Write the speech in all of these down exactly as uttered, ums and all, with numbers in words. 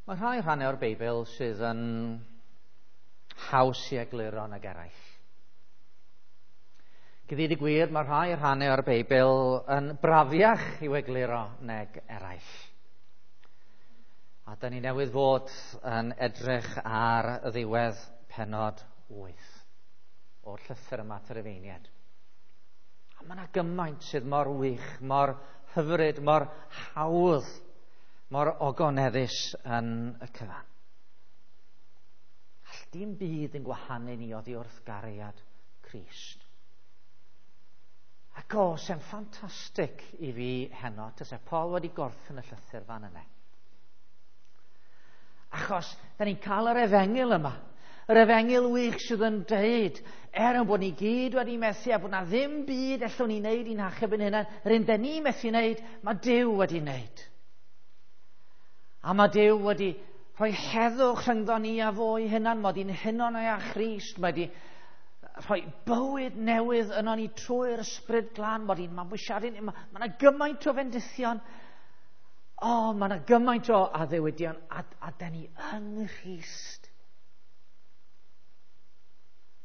Mae rhai rhannau o'r Beibl sydd yn haws i egluro nag eraill. I ddweud y gwir, mae rhai rhannau o'r Beibl yn brafiach i'w egluro nag eraill. A da ni newydd fod yn edrych ar y ddiwedd pennod wyth o'r llythyr yma at yr Rufeiniaid. A mae yna gymaint sydd mor wych, mor hyfryd, mor hawdd, mor ogoneddus yn y cyfan. All dim byd yn gwahanu ni oddi wrth gariad Crist. Ac o, sy'n ffantastig i fi heno, tase Paul wedi gorffen y llythyr fan yna. Achos, da ni'n cael yr efengyl yma. Yr efengyl wych sydd yn deud, er yn bod ni gyd wedi methu a bod na ddim byd allwn ni wneud i'n hachub yn hunain, yr un da ni methu wneud, mae Duw wedi wneud. A mae Duw wedi rhoi heddwch rhyngddo ni a fo ei hunan, mae wedi'n huno ni â Christ, mae wedi rhoi bywyd newydd yno ni trwy'r Ysbryd Glân, mae wedi'n mabwysiadu ni, mae yna gymaint o fendithion, o, oh, mae yna gymaint o addewidion, a, a da ni yng Nghrist.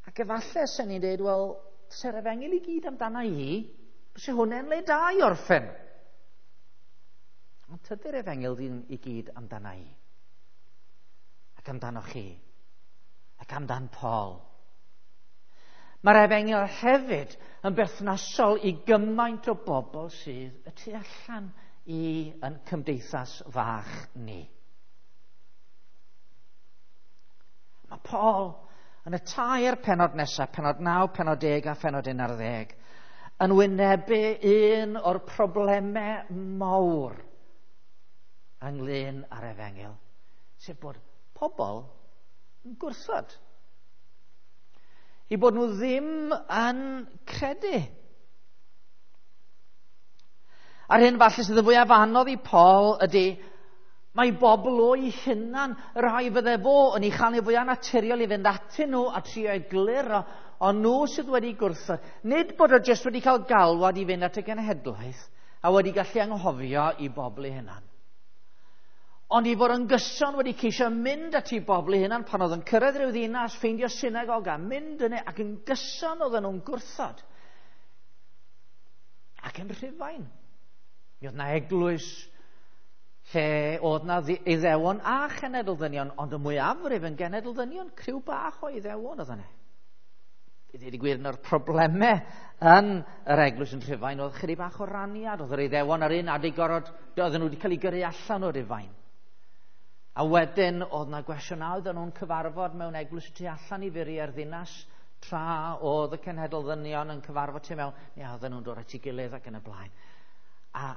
Ac efallai sy'n ni'n dweud, wel, se'r efengyl i gyd amdana i, byse hwnna'n le da i orffen. Ond tydi'r efengyl ddim i gyd amdana i. Ac amdano chi. Ac amdan Paul. Mae'r efengyl hefyd yn berthnasol i gymaint o bobl sydd y tu allan i yn cymdeithas fach ni. Mae Paul yn y tair pennod nesaf, pennod naw, pennod deg a phennod un ar ddeg, yn wynebu un o'r problemau mawr ynglyn â'r efengyl, sef bod pobl yn gwrthod. I bod nhw ddim yn credu. A'r hyn falle sydd y fwyaf anodd i Paul ydy, mae bobl o'i hunan, y rhai fydde fo yn ei chael ei fwyaf naturiol i fynd atyn nhw a trio egluro, ond nhw sydd wedi gwrthod. Nid bod o jyst wedi cael galwad i fynd at y genhedlaeth a wedi gallu anghofio i bobl ei hunan. Ond i fod yn gyson wedi ceisio mynd at ei bobl ei hunan pan oedd yn cyrraedd rhyw ddinas, ffeindio synagog a mynd yna, ac yn gyson oedden nhw'n gwrthod. Ac yn Rhufain. Mi oedd yna eglwys lle oedd yna Iddewon a chenedl ddynion, ond y mwyafrif yn genedl ddynion, criw bach o Iddewon oedd yna. I ddweud y gwir, un o'r problemau yn yr eglwys yn Rhufain oedd chydig bach o raniad. Oedd yr Iddewon ar un adeg gorod, oedden nhw wedi cael eu gyrru allan o Rufain. A wedyn oedd yna gwestiynau, oedden nhw'n cyfarfod mewn eglwys tu allan i furiau'r ddinas, tra oedd y cenhedl ddynion yn cyfarfod tu mewn, neu oedden nhw'n dod at ei gilydd ac yn y blaen. A,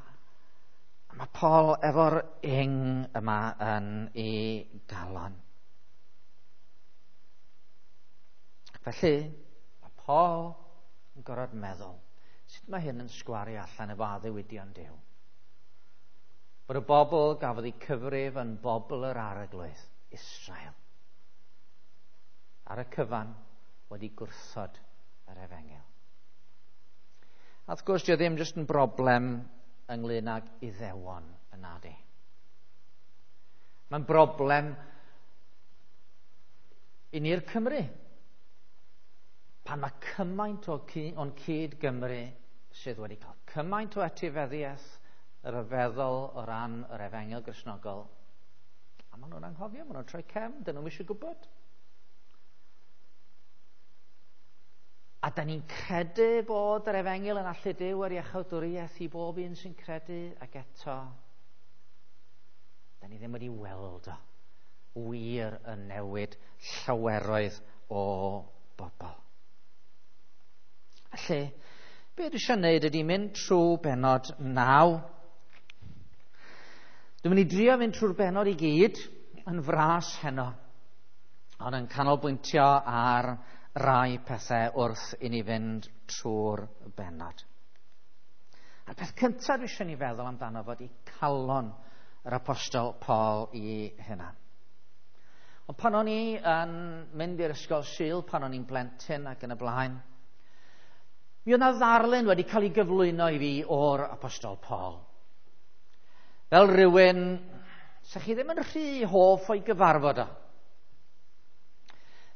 a mae Paul efo'r ing yma yn ei galon. Felly, mae Paul yn gorfod meddwl, sut mae hyn yn sgwario allan efo addewidion Duw? Bod y bobl gafodd eu cyfrif yn bobl yr arglwydd, Israel, ar y cyfan wedi gwrthod yr efengyl. A wrth gwrs, dio ddim jyst yn broblem ynglyn ag Iddewon yna di. Mae'n broblem i ni'r Cymru. Pan mae cymaint o o'n cyd Gymru sydd wedi cael cymaint o etifeddiaeth ryfeddol o ran yr efengyl Gristnogol, a maen nhw'n anghofio, maen nhw'n troi cefn, dyn nhw'm eisiau gwybod. A da ni'n credu bod yr efengyl yn allu Duw ar iachawdwriaeth i bob un sy'n credu, ac eto, da ni ddim wedi weld o wir yn newid llaweroedd o bobl. Felly, be dwi eisiau gwneud ydy mynd trwy bennod naw. Dwi'n mynd i drio fynd trwy'r bennod i gyd yn fras heno, ond yn canolbwyntio ar rai pethau wrth i ni fynd trwy'r bennod. A'r peth cyntaf dwi eisiau ni feddwl amdano fod i calon yr apostol Paul i hunan. Ond pan o'n i yn mynd i'r ysgol Sul, pan o'n i'n blentyn ac yn y blaen, mi oedd 'na ddarlun wedi cael ei gyflwyno i fi o'r apostol Paul. Fel rhywun Sa chi ddim yn rhy hoff o'i gyfarfod o.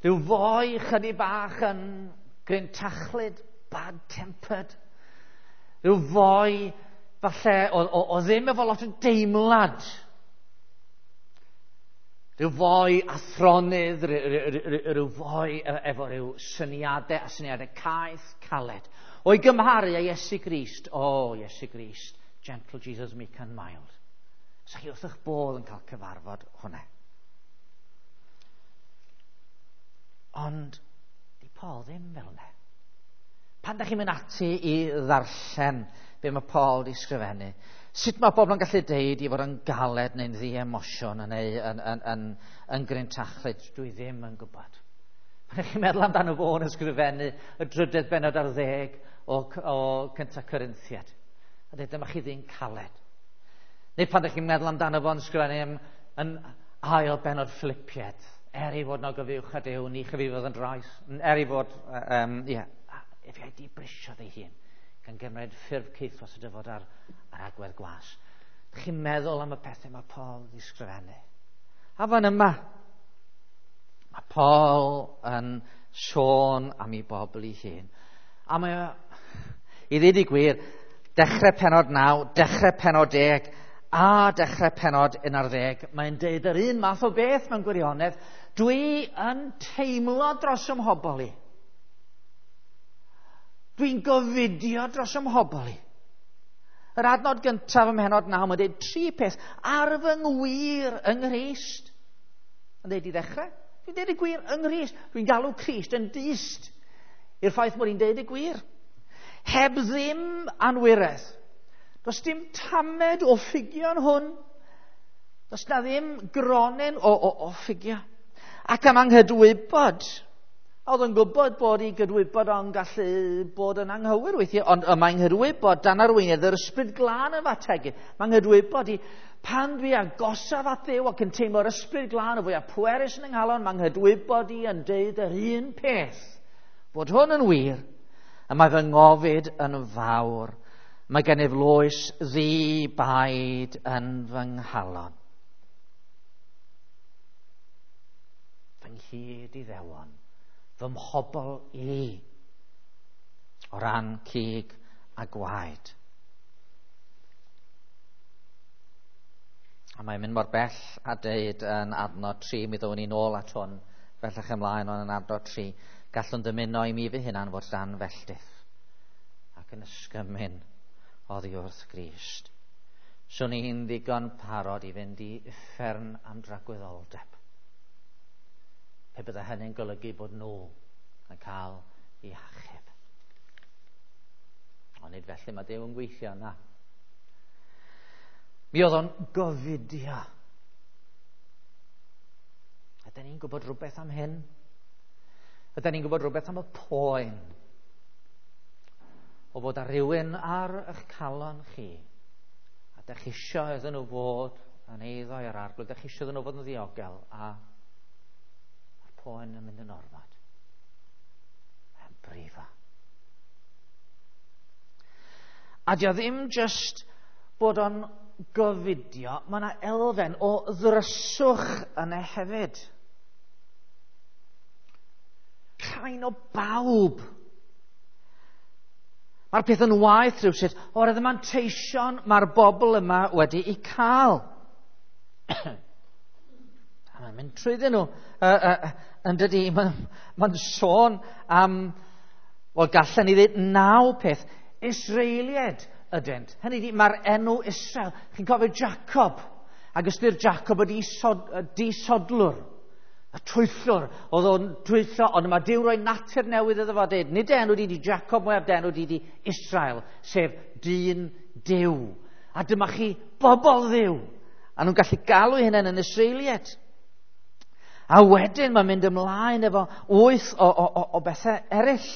Rhyw foi chydig bach yn grintachlyd, bad-tempered. Rhyw foi falle o, o, o ddim efo lot o deimlad. Rhyw foi athronydd, rhyw foi efo rhyw syniadau a syniadau caeth, caled. O'i gymharu â Iesu Grist, o oh, Iesu Grist, gentle Jesus, meek and mild. Sa chi wrth eich bodd yn cael cyfarfod hwnna. Ond di Paul ddim fel yna. Pan da chi'n mynd ati i ddarllen be mae Paul di sgrifennu, sut mae bobl yn gallu deud i fod yn galed neu'n ddi-emosiwn neu yn, yn, yn, yn grintachlyd, dwi ddim yn gwybod. Pan chi'n meddwl amdano fo yn ysgrifennu y drydedd bennod ar ddeg o, o Cynta Corinthiad, a dweud dyma chi ddyn caled. Neu pan ydych chi'n meddwl amdano fo'n ysgrifennu yn, yn ail bennod Philippiad, er ei fod yn ogyfuwch a Duw, ni chyfifodd yn drais, er ei fod, um, ie, efe a'i dibrisiodd ei hun, gan gymryd ffurf caethwas y dyfod ar, ar agwedd gwas. Ydych chi'n meddwl am y pethau mae Paul wedi sgrifennu? A fan yma, mae Paul yn sôn am ei bobl ei hun. A mae o, i ddweud y gwir, dechrau pennod naw, dechrau pennod deg, a dechrau pennod un ar ddeg, mae'n deud yr un math o beth mewn gwirionedd. Dwi yn teimlo dros ym mhobl i. Dwi'n gofidio dros ym mhobl i. Yr adnod gyntaf ym mhennod naw, mae'n deud tri peth ar fy ngwir yng Nghrist. Yn deud i ddechrau, dwi'n deud y gwir yng Nghrist. Dwi'n galw Crist yn dyst i'r ffaith mod i'n deud y gwir. Heb ddim anwiredd. Does dim tamed o ffugion hwn. Does na ddim gronyn o, o, o ffugio. Ac am anghydwybod. Oedd yn gwybod bod ei gydwybod o'n gallu bod yn anghywir weithiau, ond y mae'n nghydwybod dan arweiniad yr ysbryd glân yn fategu. Mae'n nghydwybod i pan dwi agosaf at Dduw ac yn teimlo'r ysbryd glân y fwyaf pwerus yn yng nghalon, mae'n nghydwybod i yn deud yr un peth. Bod hwn yn wir, a mae fy ngofid yn fawr. Mae gennyf loes ddi-baid yn fy nghalon. Fy nghyd i ddewon, fy mhobl i, o ran cig a gwaed. A mae'n mynd mor bell a deud yn adnod tri, mi ddown ni nôl at hwn, bellach ymlaen ond yn adnod tri, gallwn dymuno i mi fy hunan fod dan felltith ac yn ysgymyn oddi wrth Grist. Swn i'n ddigon parod i fynd i uffern am dragwyddoldeb. Pe bydde hynny'n golygu bod nhw yn cael eu hachub. Ond nid felly mae Duw yn gweithio na. Mi oedd o'n gofidio. Ydyn ni'n gwybod rhywbeth am hyn? Ydyn ni'n gwybod rhywbeth am y poen o fod ar rywun ar eich calon chi, a dych chi isio iddyn nhw fod yn eiddo i'r Arglwydd, dych chi isio iddyn nhw fod yn ddiogel, a a'r poen yn mynd yn ormod. Mae'n brifo. A dio ddim just bod o'n gofidio, mae yna elfen o ddryswch yna hefyd. Rhain o bawb. Mae'r peth yn waeth rhywsut oherwydd y manteision mae'r bobl yma wedi'u cael. A mae'n mynd trwyddyn nhw. Uh, uh, yn dydi, mae'n ma sôn am, wel gallen ni ddweud naw peth. Israeliaid ydynt. Hynny ydi, mae'r enw Israel. Chi'n cofio Jacob. Ac ystyr Jacob ydi disodlwr. Y twyllwr, oedd o'n twyllo, ond mae Duw roi natur newydd iddo fo dweud, nid enw di di Jacob mwyaf, dy enw di di Israel, sef dyn Duw. A dyma chi bobl Dduw. A nhw'n gallu galw hynny yn Israeliaid. A wedyn mae'n mynd ymlaen efo wyth o, o, o, o bethau eraill.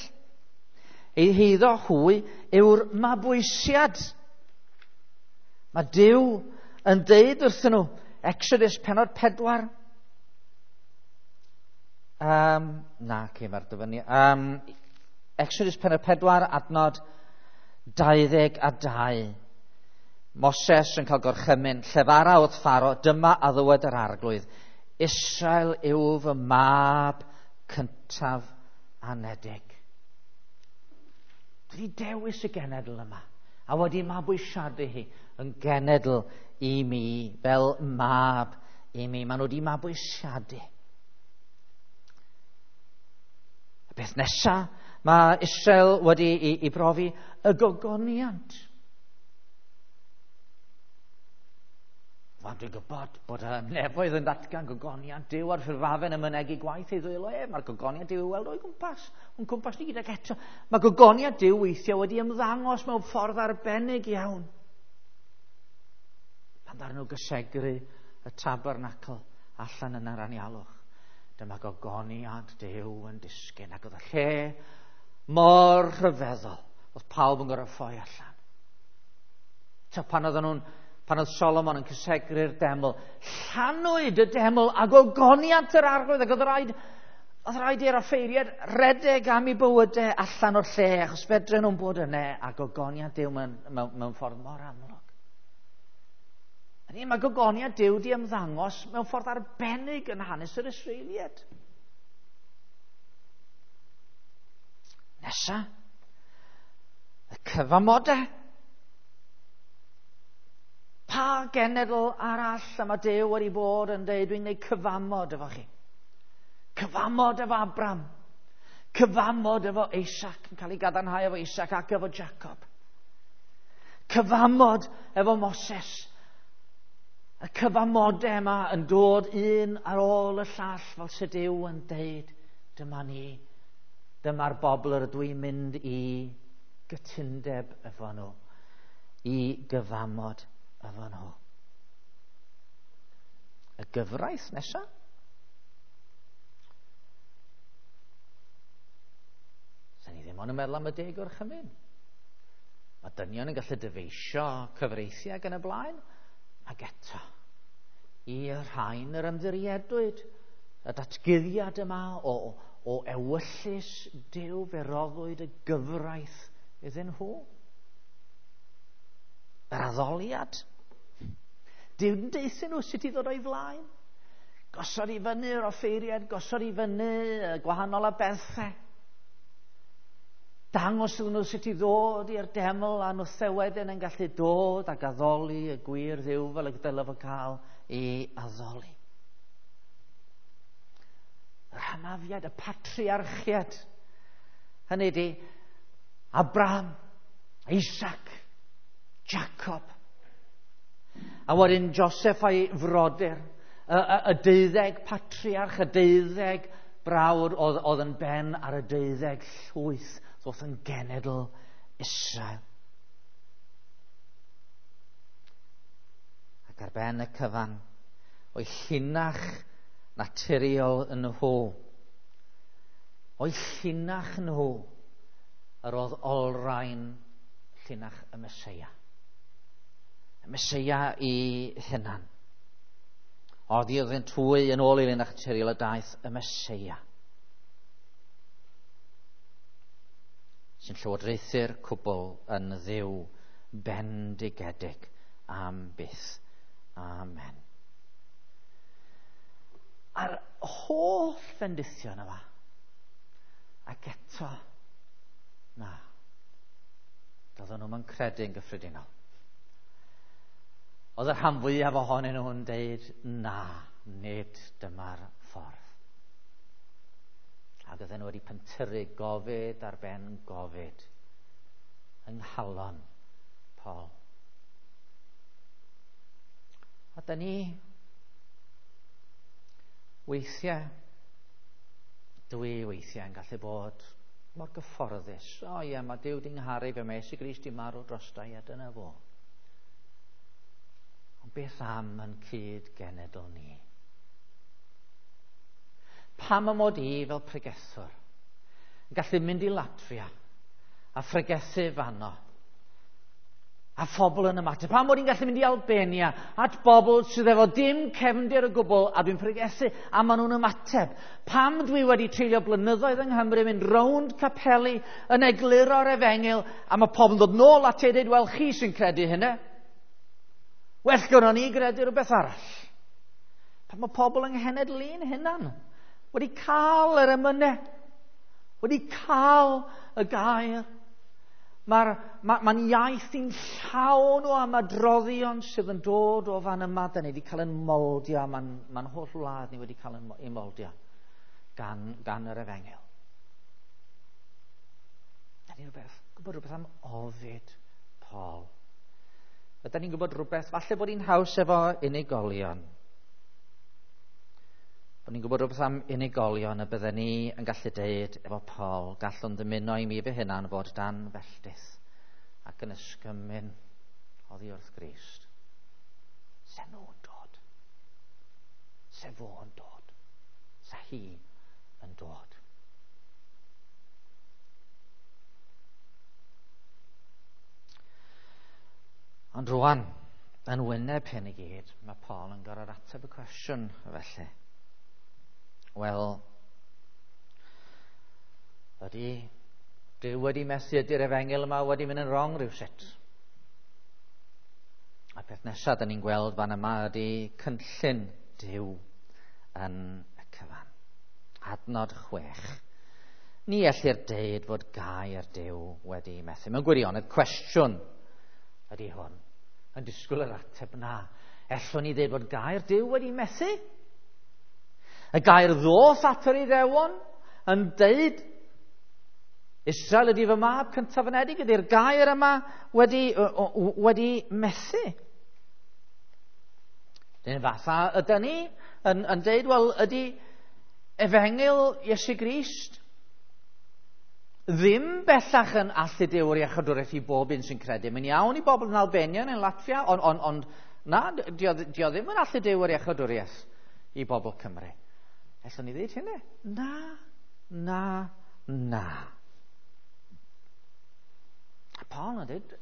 Ei heiddo hwy yw'r mabwysiad. Mae Duw yn deud wrthyn nhw, Exodus pennod pedwar. Um, na, okay, mae'r dyfynu. Um, Exodus pennod pedwar, adnod dau ddeg a dau. Moses yn cael gorchymyn, llefara wrth Pharo, dyma a ddywed yr arglwydd, Israel yw fy mab cyntaf anedig. Dwi wedi dewis y genedl yma, a wedi mabwysiadu hi yn genedl i mi, fel mab i mi. Maen nhw wedi mabwysiadu. Y beth nesaf, mae Israel wedi i, i brofi y gogoniant. Wel, dwi'n gwybod bod y nefoedd yn datgan gogoniant Duw a'r ffurfafen yn mynegi gwaith ei ddwylo ef. Mae'r gogoniant Duw i weld o'i gwmpas, o'n cwmpas ni gydag eto. Mae gogoniant Duw weithiau wedi ymddangos mewn ffordd arbennig iawn. Pan ddaru nhw gysegru y tabernacl allan yn yr anialwch, dyma gogoniant Duw yn disgyn, ac oedd y lle mor rhyfeddol, oedd pawb yn gorfod ffoi allan. Ta pan oedden nhw'n Pan oedd Solomon yn cysegru'r deml, llanwyd y deml a gogoniant yr arglwydd, ac oedd rhaid, oedd rhaid i'r offeiriad redeg am eu bywydau allan o'r lle, achos fedren nhw'n bod yna, a gogoniant Duw mewn, mewn, mewn ffordd mor amlwg. Hynny, mae gogoniant Duw di ymddangos mewn ffordd arbennig yn hanes yr Israeliaid. Nesa, y cyfamodau. Pa genedl arall y mae Duw wedi bod yn dweud, dwi'n gwneud cyfamod efo chi. Cyfamod efo Abram. Cyfamod efo Isaac, yn cael ei gadarnhau efo Isaac ac efo Jacob. Cyfamod efo Moses. Y cyfamodau yma yn dod un ar ôl y llall, fel sydd Duw yn deud, dyma ni, dyma'r bobl yr ydw i'n mynd i gytundeb efo nhw, i gyfamod efo nhw. Y gyfraith nesaf. Sa'n ni ddim ond yn meddwl am y deg gorchymyn. Mae dynion yn gallu dyfeisio cyfreithiau ac yn y blaen, ac eto, i'r rhain yr ymddiriedwyd, y datguddiad yma o, o ewyllys Duw, fe roddwyd y gyfraith iddyn nhw. Yr addoliad. Duw yn deuthyn nhw sut i ddod o'i flaen. Gosod i fyny'r offeiriad, gosod i fyny gwahanol aberthau. Dangos iddyn nhw sut i ddod i'r deml, a nhw wedyn yn gallu dod ac addoli y gwir Dduw fel y dylai fo cael ei addoli. Yr hynafiad, y patriarchiad. Hynny ydi Abraham, Isaac, Jacob. A wedyn Joseph a'i frodyr, y, y, y deuddeg patriarch, y deuddeg brawd oedd, oedd yn ben ar y deuddeg llwyth ddoth yn genedl Israel. Ac ar ben y cyfan, o'i llinach naturiol yn nhw, o'i llinach nhw, yr oedd olrhain llinach y Meseia. Y Meseia i hunan. Oedd i oeddynt hwy yn ôl i linach naturiol y daeth y Meseia, sy'n llywodraethu'r cwbl yn Dduw bendigedig am byth. Amen. A'r holl fendithion yma, ac eto, na, doedden nhw'm yn credu'n gyffredinol. Oedd y rhan fwyaf ohonyn nhw'n deud, na, nid dyma'r ffordd. Ac oedden nhw wedi pentyrru gofid ar ben gofid yng nghalon Paul. A da ni weithiau, dwi weithiau yn gallu bod mor gyfforddus. O ie, mae Duw di ngharu fe, mae Iesu Grist di marw drosta i, a dyna fo. Ond beth am yn cyd genedl ni? Pam y mod i fel pregethwr yn gallu mynd i Latfia a phregethu fanno, a phobl yn ymateb? Pam mod i'n gallu mynd i Albania at bobl sydd efo dim cefndir o gwbl a dwi'n pregethu a maen nhw'n ymateb? Pam dwi wedi treulio blynyddoedd yng Nghymru mynd rownd capeli yn egluro'r efengyl a mae pobl yn dod nôl at ei dweud, wel, chi sy'n credu hynny? Well gynnon ni gredu rhywbeth arall. Pan mae pobl yng nghenedl ein hunan wedi cael yr emynau, wedi cael y gair. Mae'r ma, ma iaith i'n llawn o ymadroddion sydd yn dod o fan yma. Da ni wedi cael yn moldio, mae'n ma holl wlad ni wedi cael yn, ei moldio gan, gan yr efengyl. Da ni'n rhywbeth, gwybod rhywbeth am ofid Paul. Ydy ni'n gwybod rhywbeth, falle bod hi'n haws efo unigolion. Bod ni'n gwybod rhywbeth am unigolion y bydden ni yn gallu deud efo Paul, gallwn ddymuno i mi fy hunan fod dan felltith ac yn ysgymyn oddi wrth Grist. Se nhw'n dod. Se fo'n dod. Se hi yn dod. Ond rwan, yn wyneb hyn i gyd, mae Paul yn gorfod ateb y cwestiwn felly. Wel, ydy Duw wedi methu, ydy'r efengyl yma wedi mynd yn wrong rhywsut? A peth nesaf da ni'n gweld fan yma ydy cynllun Duw yn y cyfan. Adnod chwech. Ni ellir deud fod gair Duw wedi methu. Mewn gwirionedd, cwestiwn ydy hwn. Yn disgwyl yr ateb na. Ellwn ni ddeud fod gair Duw wedi methu? Y gair ddoth at yr Iddewon yn deud Israel ydy fy mab cyntaf anedig, ydy'r gair yma wedi, wedi methu. Dyn fatha ydy ni yn, yn deud, wel, ydy efengyl Iesu Grist ddim bellach yn allu Duw yr iachawdwriaeth i bob un sy'n credu. Mae'n iawn i bobl yn Albania neu'n Latvia, ond on, on, na, dio, dio ddim yn allu Duw yr iachawdwriaeth i bobl Cymru. Ellwn ni ddweud hynny? Na, na, na. A Paul yn dweud,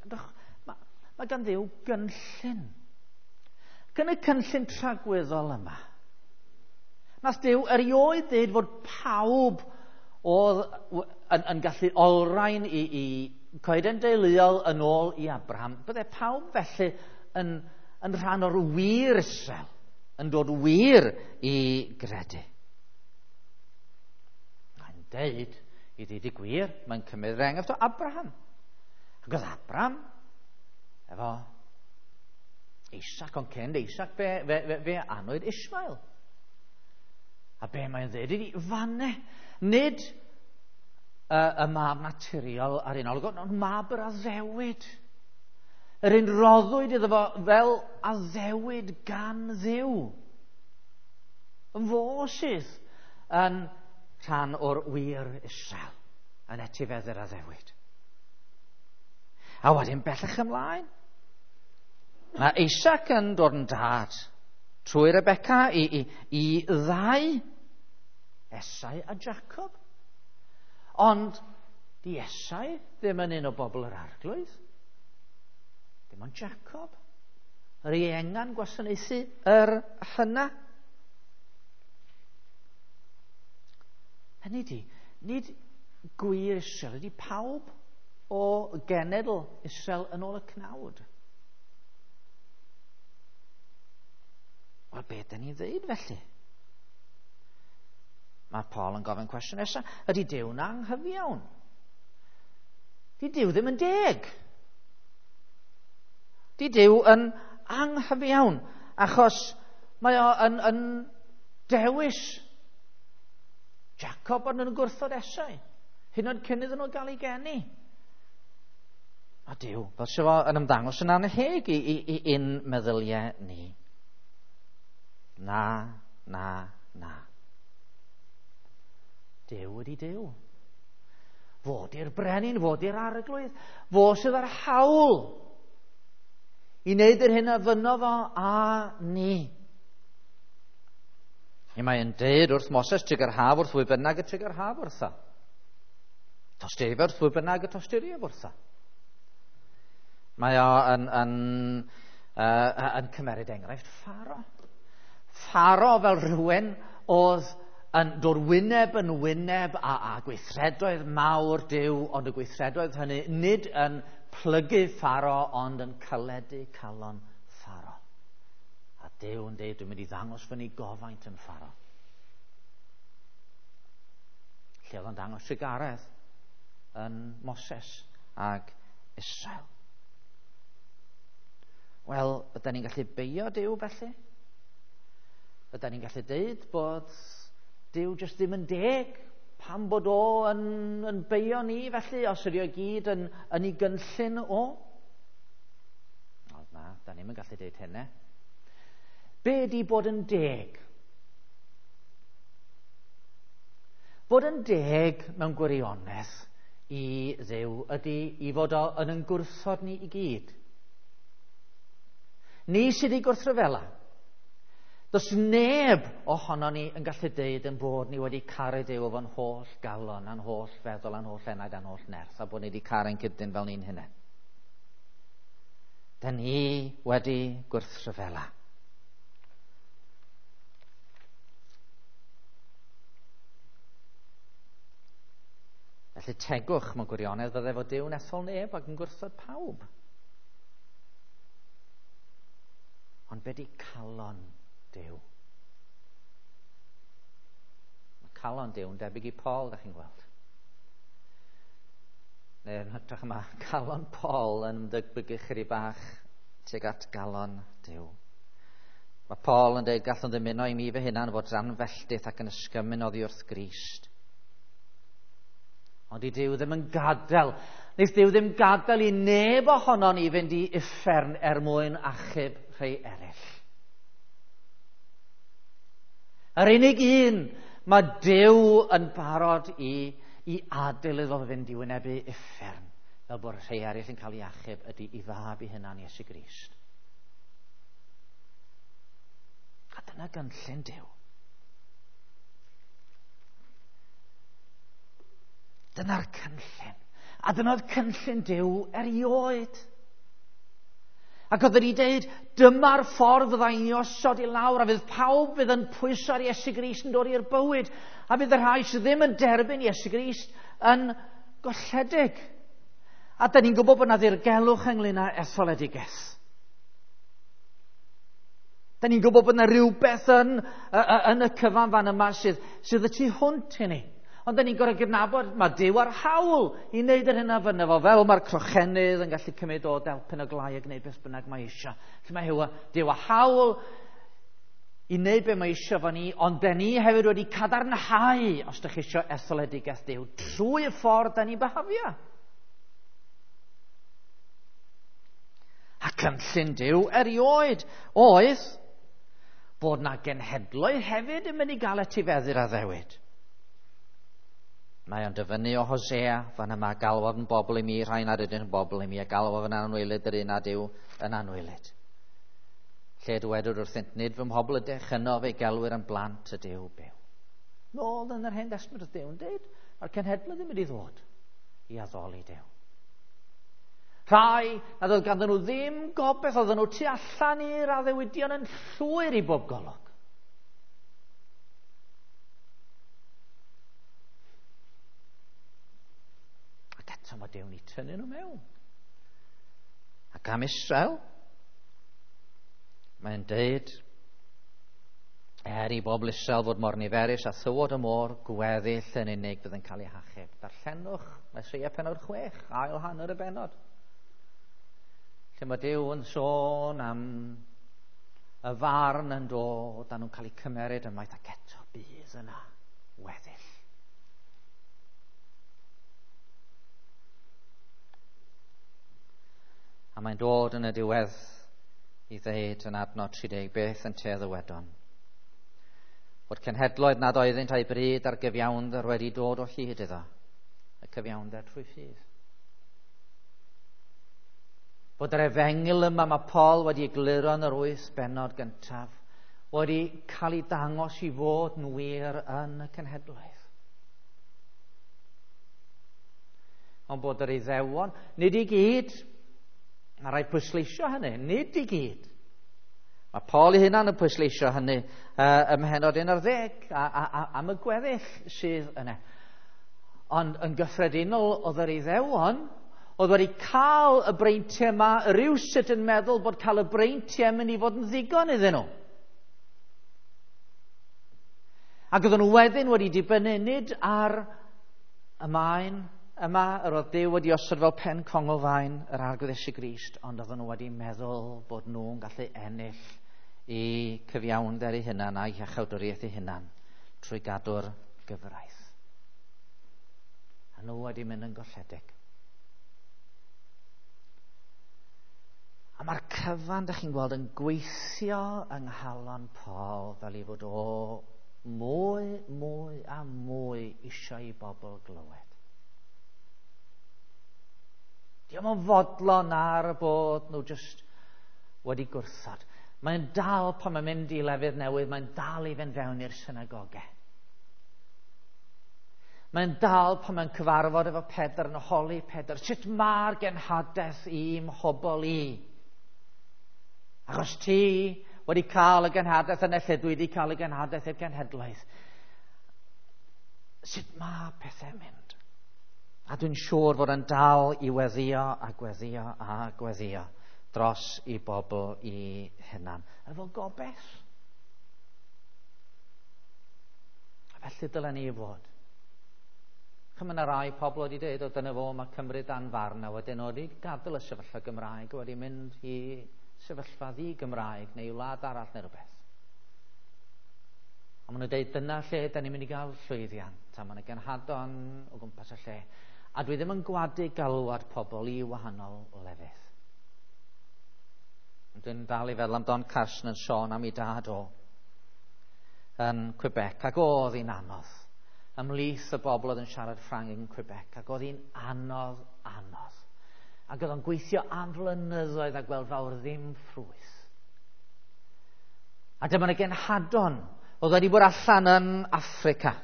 mae, mae gan Dduw gynllun. Gan y cynllun tragwyddol yma. Nath Duw erioed dweud fod pawb oedd yn, yn gallu olrhain i, i coeden deuluol yn ôl i Abraham. Bydde pawb felly yn, yn rhan o'r wir Israel, yn dod wir i gredu. Mae'n deud, i ddeud y gwir, mae'n cymryd yr enghraifft o Abraham. Ac oedd Abraham efo Isaac, ond cyn Isaac fe, fe, fe, fe anwyd Ishmael. A be mae'n dweud ydy, fanne, nid y, y mab naturiol ar un olwg, ond mab yr addewid. Yr un roddwyd iddo fo fel addewid gan Dduw. Fo sydd yn rhan o'r wir Israel, yn etifeddu'r addewid. A wedyn bellach ymlaen, mae Isaac yn dod yn dad trwy Rebecca i, i, i ddau, Esau a Jacob. Ond di Esau ddim yn un o bobl yr arglwydd. Dim ond Jacob. Yr ienga'n gwasanaethu yr hyna. Hynny di, nid gwir Israel ydy pawb o genedl Israel yn ôl y cnawd. Wel, beth dyn ni'n dweud felly? Mae Paul yn gofyn cwestiwn nesaf. Ydy Duw'n anghyfiawn? Di Duw ddim yn deg. Di Duw yn anghyfiawn, achos mae o yn, yn dewis Jacob ond yn gwrthod Esau, hyd yn oed cyn iddyn nhw gael ei geni. A Duw, fel sydd fo yn ymddangos yn annheg i, i, i un meddyliau ni. Na, na, na. Duw ydy Duw. Fo di'r brenin, fo di'r arglwydd, fo sydd â'r hawl i wneud yr hyn a fynno fo a ni. I mae'n deud wrth Moses, triga'r haf wrth bwy bynnag y triga'r haf wrtho. Tosturia wrth bwy bynnag y tosturia wrtho. Mae o yn, yn, uh, yn cymeryd enghraifft Pharo. Pharo fel rhywun oedd yn dod wyneb yn wyneb a, a gweithredoedd mawr Duw, ond y gweithredoedd hynny nid yn plygu Pharo, ond yn caledu calon Pharo. A Duw yn deud, dwi'n mynd i ddangos fyny gofaint yn Pharaoh. Lle oedd o'n dangos trugaredd yn Moses ag Israel. Wel, ydyn ni'n gallu beio Duw felly? Ydyn ni'n gallu deud bod Duw jyst ddim yn deg? Pam bod o yn, yn beio ni felly, os ydy o gyd yn, yn ei gynllun o? O, na, da ni'm yn gallu deud hynny. Be ydy bod yn deg? Bod yn deg mewn gwirionedd i Dduw ydy i fod o yn yn gwrthod ni i gyd. Ni sydd wedi gwrthryfela. Does neb ohono ni yn gallu deud yn bod ni wedi caru Duw efo'n holl galon, a'n holl feddwl, a'n holl enaid, a'n holl nerth, a bod ni wedi caru'n cydyn fel ni'n hunain. Da ni wedi gwrthryfela. Felly tegwch mewn gwirionedd fydde fod Duw'n ethol neb ac yn gwrthod pawb. Ond be di calon Duw? Mae calon Duw yn debyg i Paul, da chi'n gweld. Neu yn hytrach yma, calon Paul yn ymdebygu chydig bach tuag at galon Duw. Mae Paul yn dweud, gallwn ddymuno i mi fy hunan fod dan felltith ac yn ysgymyn oddi wrth Grist. Ond i Duw ddim yn gadael. Neith Duw ddim gadael i neb ohono ni fynd i uffern er mwyn achub rhai eraill. Yr unig un mae Duw yn barod i, i adael iddo fynd i wynebu uffern, fel bod rhai eraill yn cael ei achub, ydy i fab i hunan Iesu Grist. A dyna gynllun Duw. Dyna'r cynllun. A dyna'r cynllun Duw erioed. Ac oedd wedi dweud, dyma'r ffordd fydda i'n osod i lawr, a fydd pawb fydd yn pwyso ar Iesu Grist yn dod i'r bywyd, a fydd y rhai sydd ddim yn derbyn Iesu Grist yn golledig. A da ni'n gwybod bod yna ddirgelwch ynglyn â etholedigaeth. Da ni'n gwybod bod yna rhywbeth yn, yn y cyfan fan yma sydd, sydd y tu hwnt i ni. Ond da ni'n gorfod gydnabod, mae Duw ar hawl i wneud yr hyn a fynna fo, fel mae'r crochenydd yn gallu cymryd o delpen o glai a gwneud beth bynnag mae eisiau. Felly mae Duw ar hawl i wneud beth mae eisiau fo ni, ond da ni hefyd wedi cadarnhau, os ydych chi eisiau etholedigaeth Duw, trwy y ffordd da ni'n byhafio. A cynllun Duw erioed oedd bod na genhedloedd hefyd yn mynd i gael etifeddu'r addewid. Mae o'n dyfynnu o Hosea, fan yma, galwodd yn bobl i mi, rhai nad ydyn yn bobl i mi, a galwodd yn anwylyd yr un nad yw yn anwylyd. Lle dywedwyd wrthynt, nid fy mhobl ydych, yno fe gelwir yn blant y Duw byw. Nôl yn yr Hen Destament oedd Duw yn dweud, mae'r cenhedloedd ddim wedi ddod i addoli Duw. Rhai nad oedd ganddyn nhw ddim gobaith, oedden nhw tu allan i'r addewidion yn llwyr i bob golwg. Eto mae Duw'n eu tynnu nhw mewn. Ac am Israel, mae'n deud, er i bobl Israel fod mor niferus a thywod y môr, gweddill yn unig fydd yn cael ei hachub. Darllenwch Eseia pennod chwech, ail hanner y bennod. Lle mae Duw yn sôn am y farn yn dod, a nhw'n cael eu cymeryd ymaith, ac eto bydd yna weddill. A mae'n dod yn y diwedd i ddeud yn adnod tri deg beth yn te ddywedon. Bod cenhedloedd nad oeddynt a'u bryd ar gyfiawnder wedi dod o hyd iddo, y cyfiawnder trwy ffydd. Bod yr efengyl yma mae Paul wedi egluro yn yr wyth bennod gyntaf wedi cael ei dangos i fod yn wir yn y cenhedloedd. Ond bod yr Iddewon, nid i gyd, mae rhaid pwysleisio hynny, nid i gyd. Mae Paul ei hunan yn pwysleisio hynny uh, ym mhennod un ar ddeg a, a, a, am y gweddill sydd yna. Ond yn gyffredinol oedd yr Iddewon, oedd wedi cael y breintiau yma, rywsut yn meddwl bod cael y breintiau yn mynd i fod yn ddigon iddyn nhw. Ac oedden nhw wedyn wedi dibynnu nid ar y maen yma yr oedd Duw wedi osod fel pen conglfaen yr Arglwydd Iesu Grist, ond oedden nhw wedi meddwl bod nhw'n gallu ennill i cyfiawnder eu hunan a'i hiachawdwriaeth eu hunan trwy gadw'r gyfraith. A nhw wedi mynd yn golledig. A mae'r cyfan, dych chi'n gweld, yn gweithio yng nghalon Paul fel ei fod o mwy, mwy a mwy eisiau i bobl glywed. Dio'm yn fodlon ar y bod nhw jyst wedi gwrthod. Mae'n dal pan mae'n mynd i lefydd newydd, mae'n dal i fynd fewn i'r synagogau. Mae'n dal pan mae'n cyfarfod efo Pedr yn holi Pedr, sut mae'r genhadaeth i'm hobol i? Achos ti wedi cael y genhadaeth yna lle dwi wedi cael y genhadaeth i'r genhedlaeth. Sut mae pethau'n mynd? A dwi'n siŵr fod yn dal i weddio a gweddio a gweddio dros i bobl i hunan. Efo gobaith. A felly dylen ni fod. Chymryd yna rai pobl wedi dweud, o dyna fo, mae Cymru dan farn, a wedyn wedi gadael y sefyllfa Gymraeg, wedi mynd i sefyllfa ddi-Gymraeg neu wlad arall neu rhywbeth. A maen nhw'n dweud, dyna lle da ni'n mynd i gael llwyddiant, a maen nhw'n genhadon o gwmpas y lle. A dwi ddim yn gwadu galwad pobl i wahanol lefydd. Dwi'n dal i feddwl am Don Carson yn sôn am ei dad o yn Quebec, ac oedd hi'n anodd. Ymhlith y bobl oedd yn siarad Ffrangeg yn Quebec, ac oedd hi'n anodd, anodd. Ac oedd o'n gweithio am flynyddoedd a gweld fawr ddim ffrwyth. A dyma y genhadon oedd wedi bod allan yn Affrica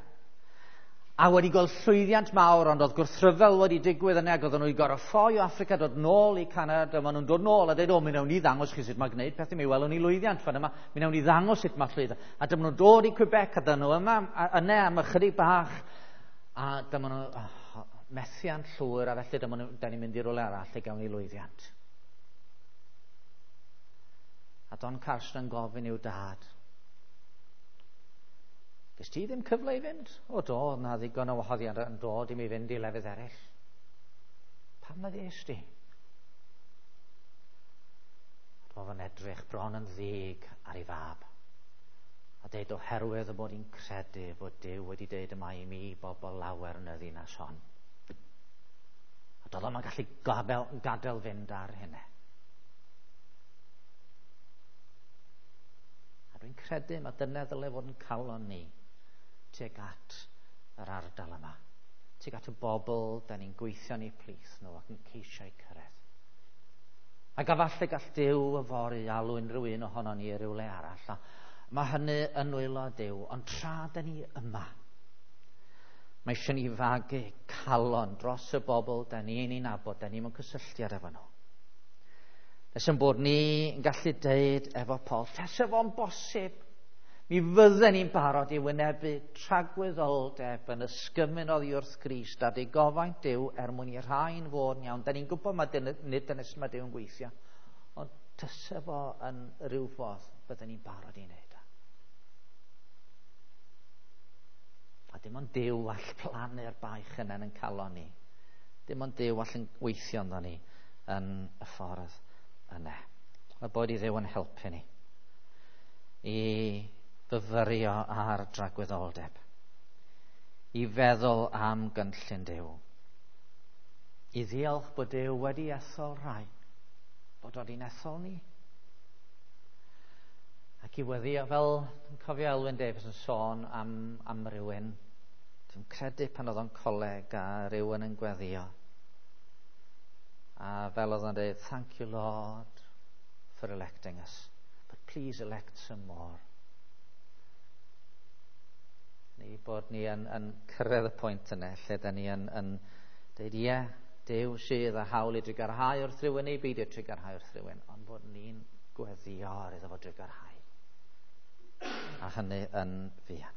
a wedi gweld llwyddiant mawr, ond oedd gwrthryfel wedi digwydd yna, ac oedden nhw wedi gorfod ffoi o Affrica, dod nôl i Canada, maen nhw'n dod nôl a dweud, o, mi wnawn ni ddangos chi sut mae gwneud pethau, mi welwn ni lwyddiant fan yma, mi wnawn ni ddangos sut mae llwyddo. A dyma nhw'n dod i Quebec, a dyma nhw yma, yna am ychydig bach, a dyma nhw, oh, methiant llwyr, a felly dyma nhw, da ni'n mynd i rywle arall i gawn ni lwyddiant. A Don Carson yn gofyn i'w dad, Ges ti ddim cyfle i fynd? O do, na ddigon o wahoddiad yn dod i mi fynd i lefydd eraill. Pam na ddes di? Roedd yn edrych bron yn ddig ar ei fab. A deud oherwydd y bod hi'n credu bod Duw wedi deud yma i mi bobl lawer yn y ddinas hon. A doedd o'm yn gallu gadael, gadael fynd ar hynny. A dwi'n credu mae dyna ddyle fod yn calon ni tuag at yr ardal yma, tuag at y bobl da ni'n gweithio yn eu plith nhw ac yn ceisio eu cyrraedd. Ac efallai gall Duw yfory alw unrhyw un ohono ni i rywle arall. A mae hynny yn nwylo Duw, ond tra da ni yma, mae eisiau ni fagu calon dros y bobl da ni'n ei nabod, da ni mewn cysylltiad efo nhw. Nes yn bod ni yn gallu deud efo Paul, tasa fo'n bosib, mi fydden ni'n barod i wynebu tragwyddoldeb yn ysgymun oddi wrth Grist a digofaint Duw er mwyn i rhain fod yn iawn. Da ni'n gwybod mae dyn, nid dyna sut mae Duw yn gweithio, ond tasa fo yn rhyw ffordd bydden ni'n barod i wneud o. A dim ond Duw all plannu'r baich yna yn calon ni. Dim ond Duw all yn weithio ynddo ni yn y ffordd yna. A bod i Dduw yn helpu ni i fyfyrio ar dragwyddoldeb, i feddwl am gynllun Duw, i ddiolch bod Duw wedi ethol rhai, bod wedi'n ethol ni, ac i weddio fel, dwi'n cofio Elwyn Davies yn sôn am, am rywun, dwi'n credu pan oedd o'n coleg a rywun yn gweddio, a fel oedd o'n dweud, thank you Lord for electing us, but please elect some more. Ni bod ni yn, yn cyrraedd y pwynt yna lle da ni yn, yn dweud, ie, Duw sydd â hawl i drugarhau wrth rhywun neu beidio trugarhau wrth rhywun, ond bod ni'n gweddio ar iddo fo drugarhau. A hynny yn fuan.